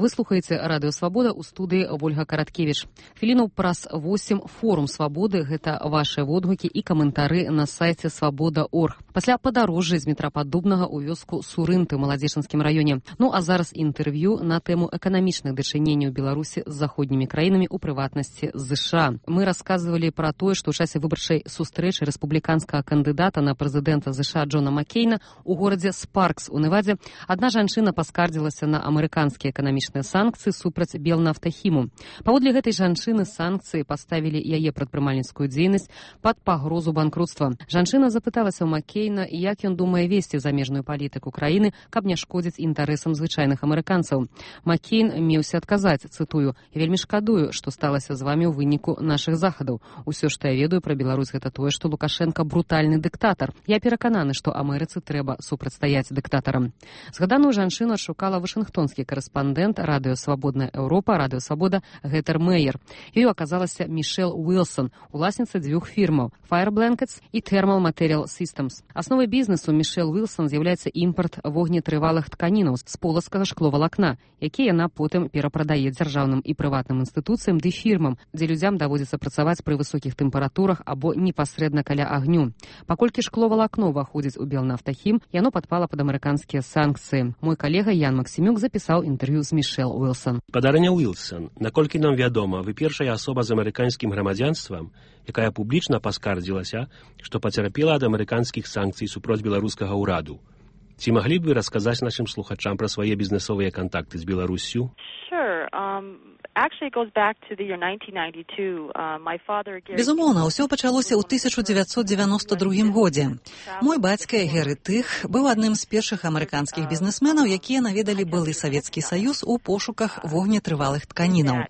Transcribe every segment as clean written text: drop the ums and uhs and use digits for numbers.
Вы слухаеце Радыё Свабода, у студыі Ольга Караткевіч. Хвіліну праз 8 форум свабоды, гэта вашыя водгукі і каментары на сайце свабода.орг. Пасля падарожжа з метра Паддубнага ў вёску Сурынты ў Маладзечынскім раёне. Ну а зараз інтэрв'ю на тэму эканамічных дачыненняў Беларусі з заходнімі краінамі, у прыватнасці з ЗША. Мы расказвалі пра тое, што ў часе выбарчай сустрэчы рэспубліканскага кандыдата на прэзідэнта ЗША Джона Маккейна у горадзе Спаркс у Невадзе адна жанчына паскардзілася на амерыканскія эканамічныя санкцыі супраць Белнафтахіму. Паводле гэтай жанчыны санкцыі паставілі яе прадпрымальніцкую дзейнасць пад пагрозу банкрутства. Жанчына запыталася ў Маккейна, як ён думае весці замежную палітыку краіны, каб не шкодзіць інтарэсам звычайных амерыканцаў. Маккейн меўся адказаць, цытую: «Я вельмі шкадую, што сталася з вамі ў выніку нашых захадаў. Усё, што я ведаю пра Беларусь, гэта тое, што Лукашенко брутальны дыктатар. Я перакананы, што Амерыцы трэба супрацьстаяць дыктатарам». Згаданую жанчыну адшукала вашынгтонскі корэспандэнт Радыё Свабодная Еўропа, Радыё Свабода Гетер Мейер. Ёй аказалася Мішэл Уилсон, уласніца дзвюх фірмаў Fire Blankets і Thermal Material Systems. Асновай бізнесу Мішэл Уилсон з'яўляецца імпарт вогнетрывалых тканінаў з полацкага шкловалакна, які яна потым перапрадае дзяржаўным і прыватным інстытуцыям ды фірмам, дзе людзям даводзіцца працаваць пры высокіх тэмпературах або непасрэдна каля агню. Паколькі шкловалакно ўваходзіць у Белнафтахім, яно падпала пад амерыканскія санкцыі. Мой калега Ян Максімюк запісаў інтэрв'ю з Мішэл Уилсон. Падарня Уилсон, наколькі нам вядома, вы першая асоба з амерыканскім грамадзянствам, якая публічна паскардзілася, што пацярпела ад амерыканскіх санкцый супроць беларускага ўраду. Ці маглі б вы расказаць нашым слухачам пра свае бізнесовыя кантакты з Беларуссю? Безумоўна, ўсё пачалося ў 1992 годзе. Мой бацька Геры Тых быў адным з першых амерыканскіх бізнесменаў, якія наведалі былы Савецкі Саюз у пошуках вогнетрывалых тканінаў.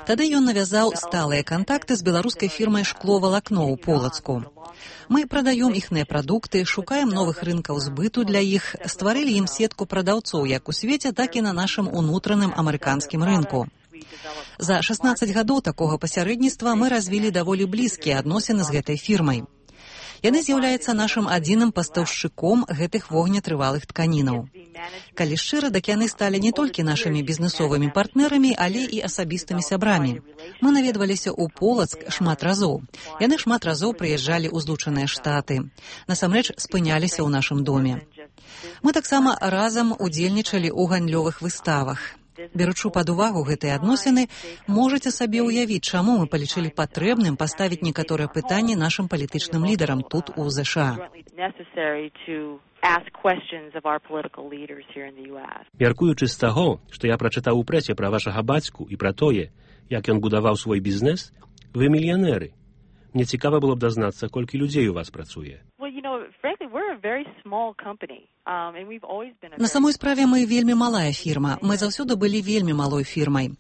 Тады ён навязаў сталыя кантакты з беларускай фірмай «Шкловалакно» ў Полацку. Мы прадаем іхныя прадукты, шукаем новых рынкаў збыту для іх, стварылі ім сетку прадаўцоў як у свеце, так і на нашым унутраным амерыканскім рынку. За 16 гадоў такога пасярэдніцтва мы развілі даволі блізкія адносіны з гэтай фірмай. Яны з'яўляюцца нашым адзіным пастаўшчыком гэтых вогнетрывалых тканінаў. Калі шчыра, дак яны сталі не толькі нашымі бізнесовымі партнерамі, але і асабістымі сябрамі. Мы наведваліся ў Полацк шмат разоў. Яны шмат разоў прыязджалі ў Злучаныя Штаты. Насамрэч спыняліся ў нашым доме. Мы таксама разам удзельнічалі ў гандлёвых выставах. Беручы пад увагу гэтыя адносіны, можаце сабе ўявіць, чаму мы палічылі патрэбным паставіць некаторыя пытанні нашым палітычным лідарам тут у ЗША. Мяркуючы з таго, што я прачытаў у прэсе пра вашага бацьку і пра тое, як ён будаваў свой бізнес, вы мільянеры. Мне цікава было б дазнацца, колькі людзей у вас працуе. На самой справе мы вельмі малая фірма. Мы заўсёды былі вельмі малой фірмай.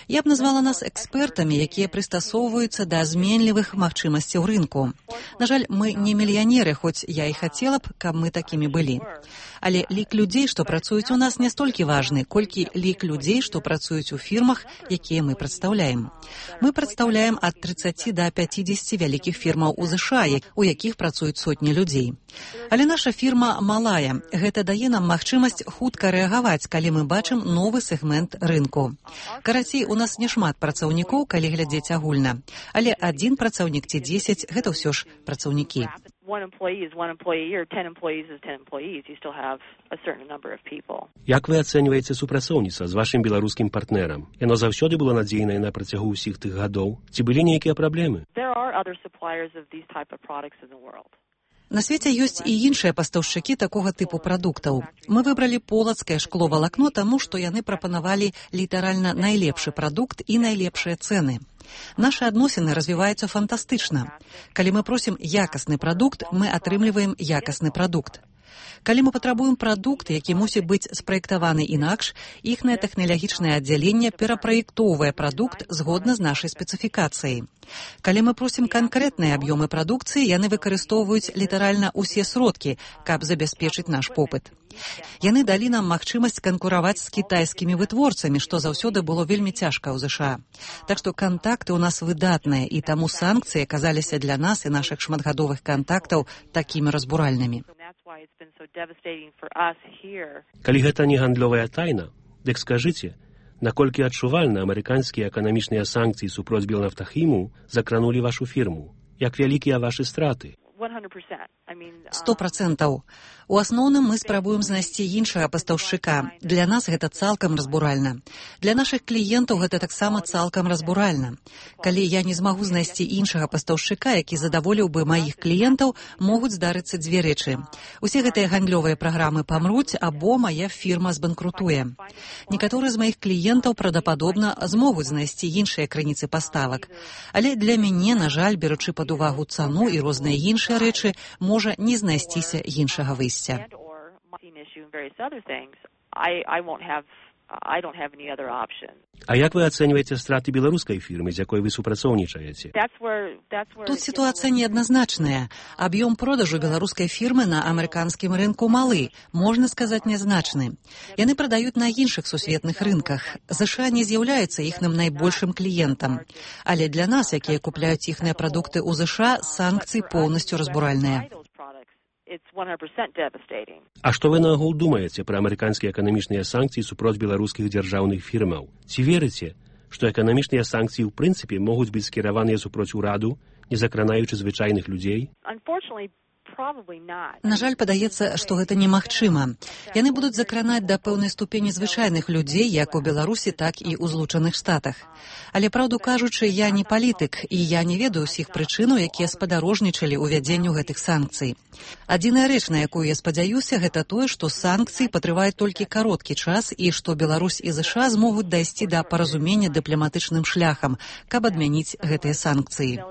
Я б назвала нас экспертамі, якія прыстасоўваюцца да зменлівых магчымасцяў рынку. На жаль, мы не мільянеры, хоць я і хацела б, каб мы такімі былі. Але лік людзей, што працуюць у нас, не столькі важны, колькі лік людзей, што працуюць у фірмах, якія мы прадстаўляем. Мы прадстаўляем ад 30 да 50 вялікіх фірмаў у ЗША, у якіх працуюць сотні людзей. Але наша фірма малая. Гэта дае нам магчымасць хутка рэагаваць, калі мы бачым новы сегмент рынку. Карацей, у нас няшмат працаўнікоў, калі глядзець агульна. Але адзін працаўнік ці 10 – гэта ўсё ж працаўнікі. Як вы ацэньваеце супрацоўніцтва з вашым беларускім партнерам? Яно заўсёды было надзейнае на працягу ўсіх тых гадоў? Ці былі нейкія праблемы? На свеце ёсць і іншыя пастаўшчыкі такога тыпу прадуктаў. Мы выбралі полацкае шкловалакно, таму што яны прапанавалі літаральна найлепшы прадукт і найлепшыя цэны. Нашы адносіны развіваюцца фантастычна. Калі мы просім якасны прадукт, мы атрымліваем якасны прадукт. Калі мы патрабуем прадукт, які мусіць быць спраектаваны інакш, іхнае тэхналагічнае аддзяленне перапраектоўвае прадукт згодна з нашай спецыфікацыяй. Калі мы просім канкрэтныя аб'ёмы прадукцыі, яны выкарыстоўваюць літаральна ўсе сродкі, каб забяспечыць наш попыт. Яны далі нам магчымасць канкураваць з кітайскімі вытворцамі, што заўсёды было вельмі цяжка ў ЗША. Так што кантакты ў нас выдатныя, і таму санкцыі аказаліся для нас і нашых шматгадовых кантактаў такімі разбуральнымі. Калі гэта не гандлёвая тайна, дык скажыце, Наколькі адчувальна амерыканскія эканамічныя санкцыі супроць Белнафтахіму закранулі вашу фірму? Як вялікія вашы страты? 100%. У асноўным мы спрабуем знайсці іншага пастаўшчыка. Для нас гэта цалкам разбуральна. Для нашых кліентаў гэта таксама цалкам разбуральна. Калі я не змагу знайсці іншага пастаўшчыка, які задаволіў бы маіх кліентаў, могуць здарыцца дзве рэчы. Усе гэтыя гандлёвыя праграмы памруць, або мая фірма збанкрутуе. Некаторыя з маіх кліентаў правдападобна змогуць знайсці іншыя крыніцы паставак. Але для мяне, на жаль, беручы пад увагу цану і розныя іншыя рэчы, можа не знайсціся іншага выйсця. А як вы ацэньваеце страты беларускай фірмы, з якой вы супрацоўнічаеце? Тут сітуацыя неадназначная. Аб'ём продажу беларускай фірмы на амерыканскім рынку малы, можна сказаць, нязначны. Яны прадаюць на іншых сусветных рынках. ЗША не з'яўляецца іхным найбольшым кліентам. Але для нас, якія купляюць іхныя прадукты ў ЗША, санкцыі поўнасцю разбуральныя. А што вы наогул думаеце пра амерыканскія эканамічныя санкцыі супроць беларускіх дзяржаўных фірмаў? Ці верыце, што эканамічныя санкцыі ў прынцыпе могуць быць скіраваныя супроць ураду, не закранаючы звычайных людзей? На жаль, падаецца, што гэта немагчыма. Яны будуць закранаць да пэўнай ступені звычайных людзей, як у Беларусі, так і ў Злучаных Штатах. Але, праўду кажучы, я не палітык, і я не ведаю ўсіх прычынаў, якія спадарожнічалі ўвядзенню гэтых санкцый. Адзіная рэч, на якую я спадзяюся, гэта тое, што санкцыі патрываюць толькі кароткі час і што Беларусь і ЗША змогуць дайсці да паразумення дыпламатычным шляхам, каб адмяніць гэтыя санкцыі.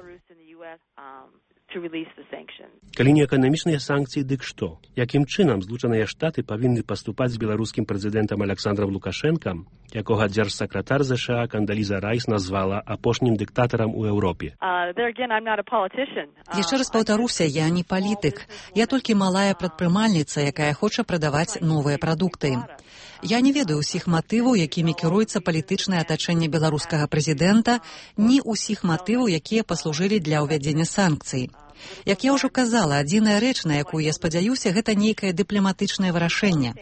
Калі не эканамічныя санкцыі, дык што? Якім чынам Злучаныя Штаты павінны паступаць з беларускім прэзідэнтам Александром Лукашэнкам, якога дзяржсакратар ЗША Кандаліза Райс назвала апошнім дыктатарам у Еўропе? Яшчэ раз паўтаруся, я не палітык. Я толькі малая прадпрымальніца, якая хоча прадаваць новыя прадукты. Я не ведаю ўсіх матываў, якімі кіруецца палітычнае атачэнне беларускага прэзідэнта, ні ўсіх матываў, якія паслужылі для ўвядзення санкцый. Як я ўжо казала, адзіная рэч, на якую я спадзяюся, гэта нейкае дыпламатычнае вырашэнне.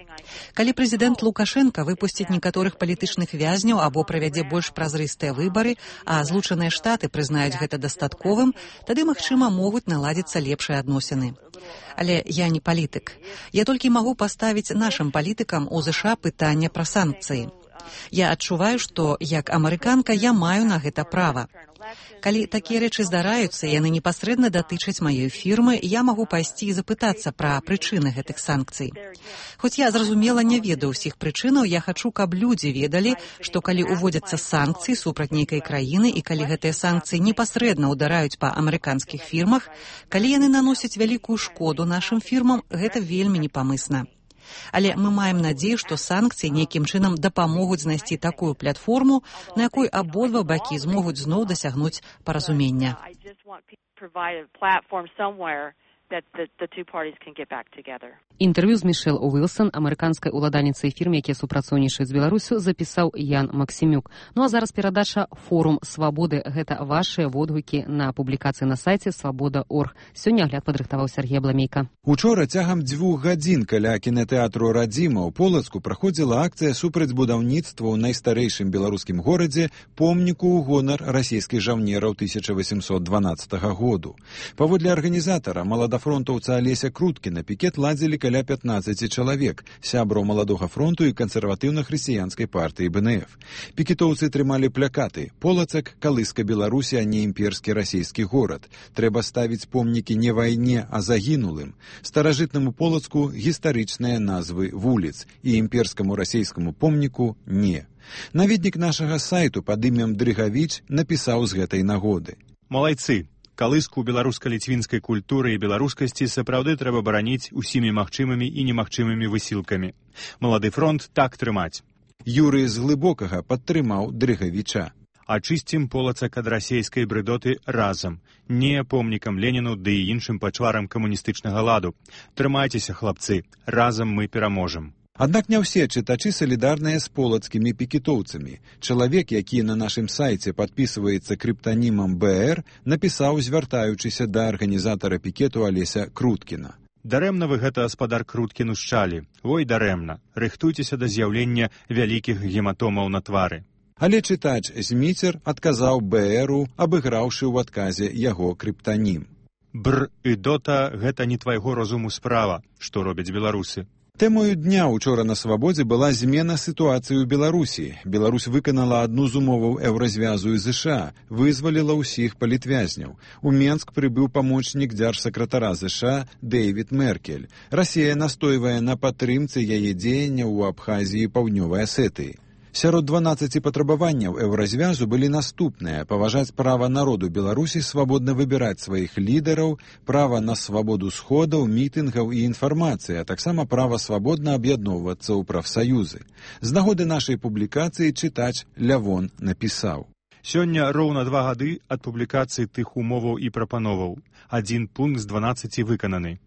Калі прэзідэнт Лукашэнка выпусціць некаторых палітычных вязняў або правядзе больш празрыстыя выбары, а Злучаныя Штаты прызнаюць гэта дастатковым, тады, магчыма, могуць наладзіцца лепшыя адносіны. Але я не палітык. Я толькі магу паставіць нашым палітыкам у ЗША пытанне пра санкцыі. Я адчуваю, што, як амерыканка, я маю на гэта права. Калі такія рэчы здараюцца, яны непасрэдна датычаць маёй фірмы, я магу пайсці і запытацца пра прычыны гэтых санкцый. Хоць я, зразумела, не ведаю ўсіх прычынаў, я хачу, каб людзі ведалі, што калі ўводзяцца санкцыі супраць нейкай краіны і калі гэтыя санкцыі непасрэдна ўдараюць па амерыканскіх фірмах, калі яны наносяць вялікую шкоду нашым фірмам, гэта вельмі непамысна. Але мы маем надзею, што санкцыі нейкім чынам дапамогуць знайсці такую платформу, на якой абодва бакі змогуць зноў дасягнуць паразумення. Інтэрв'ю з Мішэл Уілсон, амерыканскай уладальніцай фірм, якія супрацоўнічаюць з Беларусю, запісаў Ян Максімюк. Ну а зараз перадача «Форум свабоды». Гэта вашыя водгукі на публікацыі на сайце «Свабода.орг». Сёння агляд падрыхтаваў Сергей Абламейка. Учора цягам 2 гадзін каля кінатэатру «Радзіма» ў Полацку праходзіла акцыя супраць будаўніцтва ў найстарэйшым беларускім горадзе помніку ў гонар расійскіх жаўнераў 1812 году. Паводле арганізатара, маладафронтаўца Алеся Круткіна, пікет ладзілі каля 15 чалавек, сябраў Маладога фронту і кансерватыўна-хрысціянскай партыі БНФ. Пікетоўцы трымалі плакаты «Полацак, калыска Беларусі, а не імперскі расійскі горад. Трэба ставіць помнікі не вайне, а загінулым. Старажытнаму Полацку гістарычныя назвы вуліц і імперскаму расійскаму помніку не». Наведнік нашага сайту пад імем Дрыгавіч напісаў з гэтай нагоды. Малайцы! Калыску беларуска-ліцвінскай культуры і беларускасці сапраўды трэба бараніць усімі магчымымі і немагчымымі высілкамі. Малады фронт так трымаць. Юрый з Глыбокага падтрымаў Дрыгавіча. Ачысцім Полацак ад расейскай брыдоты разам. Не помнікам Леніну ды і іншым пачварам камуністычнага ладу. Трымайцеся, хлапцы, разам мы пераможам. Аднак не ўсе чытачы салідарныя з полацкімі пікетоўцамі. Чалавек, які на нашым сайце падпісваецца крыптанімам БР, напісаў, звяртаючыся да арганізатара пікету Алеся Круткіна. Дарэмна вы гэта, гаспадар Круткін, ушчалі. Ой, дарэмна. Рыхтуйцеся да з'яўлення вялікіх гематомаў на твары. Але чытач Зміцер адказаў БРу, абыграўшы ў адказе яго крыптанім. Бр і дота – гэта не твайго розуму справа, што робяць беларусы. Тэмою дня учора на Свабодзе была змена сітуацыі ў Беларусі. Беларусь выканала адну з умоваў еўразвязу і ЗША, вызваліла ўсіх палітвязняў. У Менск прыбыў памочнік дзяржсакратара ЗША Дэвід Меркель. Расія настойвае на падтрымцы яе дзеянняў у Абхазіі і Паўднёвай Асетыі. Сярод 12 патрабаванняў еўразвязу былі наступныя: паважаць права народу Беларусі свабодна выбіраць сваіх лідараў, права на свабоду сходаў, мітынгаў і інфармацыі, а таксама права свабодна аб'ядноўвацца ў прафсаюзы. З нагоды нашай публікацыі чытач Лявон напісаў: Сёння роўна 2 гады ад публікацыі тых умоваў і прапановаў. 1 пункт з 12 выкананы.